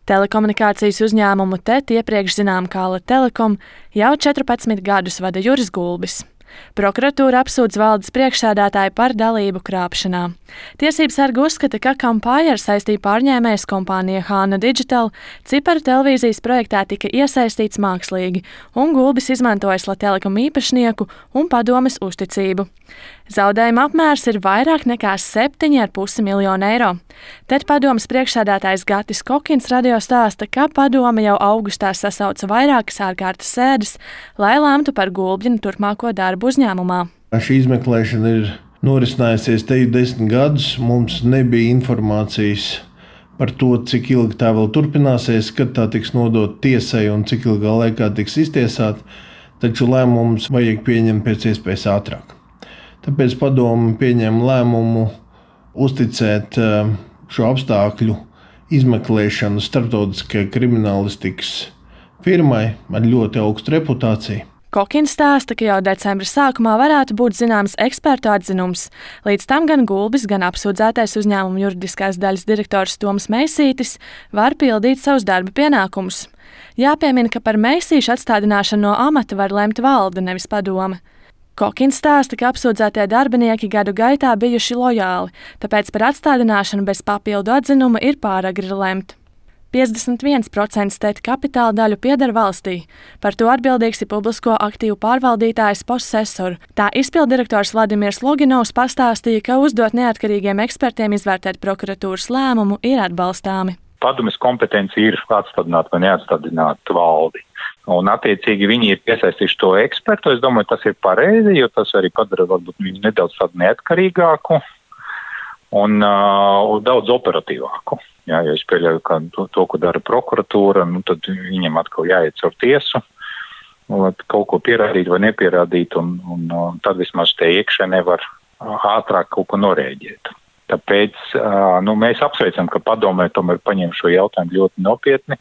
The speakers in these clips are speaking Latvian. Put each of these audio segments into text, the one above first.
Telekomunikācijas uzņēmumu TET, iepriekš zinām kā Telekom, jau 14 gadus vada Juris Gulbis. Prokuratūra apsūdz valdes priekšsēdētāju par dalību krāpšanā. Tiesības sargi uzskata, ka Campire saistīja pārņēmējas kompānija Hāna Digital, ciparu televīzijas projektā tika iesaistīts mākslīgi, un Gulbis izmantoja Telekom īpašnieku un padomes uzticību. Zaudējuma apmērs ir vairāk nekā 7,5 miljonu eiro. Tad padomes priekšsēdētājs Gatis Kokins radio stāsta, ka padome jau augustā sasauca vairākas ārkārtas sēdes, lai lemtu par Gulbina turpmāko darbu uzņēmumā. Šī izmeklēšana ir norisinājusies te 10 gadus. Mums nebija informācijas par to, cik ilgi tā vēl turpināsies, kad tā tiks nodota tiesai un cik ilgā laikā tiks iztiesāta, taču lēmumus vajag pieņemt pēc iespējas ātrāk. Tāpēc padome pieņēma lēmumu uzticēt šo apstākļu izmeklēšanu starptautiskajai kriminālistikas firmai ar ļoti augstu reputāciju. Kokins stāsta, ka jau decembra sākumā varētu būt zināms ekspertu atzinums. Līdz tam gan Gulbis, gan apsūdzētais uzņēmuma juridiskās daļas direktors Toms Meisītis var pildīt savus darba pienākumus. Jāpiemina, ka par Meisīšu atstādināšanu no amata var lemt valde, nevis padome. Kokins stāsta, ka apsūdzētie darbinieki gadu gaitā bijuši lojāli, tāpēc par atstādināšanu bez papildu atzinuma ir pāragri lemt. 51% TET kapitāla daļu pieder valstī. Par to atbildīgs ir publisko aktīvu pārvaldītājs Possessor. Tā izpilddirektors Vladimirs Loginovs pastāstīja, ka uzdot neatkarīgiem ekspertiem izvērtēt prokuratūras lēmumu ir atbalstāmi. Padomes kompetence ir atstādināt vai neatstādināt valdi. Un, attiecīgi, viņi ir piesaistījuši to ekspertu. Es domāju, tas ir pareizi, jo tas arī padara varbūt viņu nedaudz tādu neatkarīgāku un daudz operatīvāku. Jā, ja es pieļauju, ka to, ko dara prokuratūra, tad viņam atkal jāiet caur tiesu, lai kaut ko pierādīt vai nepierādīt, un tad vismaz te iekšēnē var ātrāk kaut ko norēģēt. Tāpēc mēs apsveicam, ka padomē tomēr paņem šo jautājumu ļoti nopietni,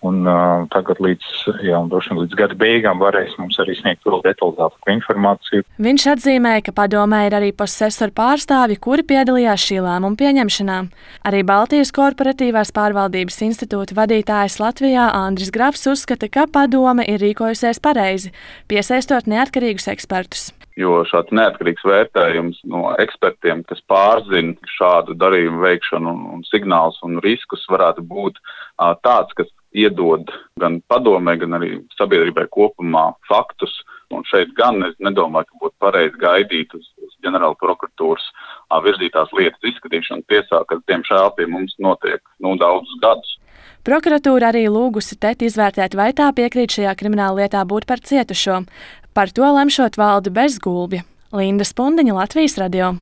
un tagad līdz gada beigām varēs mums arī sniegt vēl detalizētāku informāciju. Viņš atzīmēja, ka padomē ir arī Possessor pārstāvji, kuri piedalījās šī lēmuma pieņemšanā. Arī Baltijas korporatīvās pārvaldības institūta vadītājs Latvijā Andris Grafs uzskata, ka padome ir rīkojusies pareizi, piesaistot neatkarīgus ekspertus. Jo šāds neatkarīgs vērtējums no ekspertiem, kas pārzina šādu darījumu veikšanu un signālus un riskus, varētu būt tāds, kas iedod gan padomē, gan arī sabiedrībai kopumā faktus. Un šeit gan es nedomāju, ka būtu pareizi gaidīt uz ģenerāla prokuratūras virzītās lietas izskatīšanu tiesā, kas diemžēl pie mums notiek daudzus gadus. Prokuratūra arī lūgusi TET izvērtēt, vai tā piekrīt šajā krimināla lietā būt par cietušo. Par to lemšot valde bez Gulbja. Linda Spundiņa, Latvijas radio.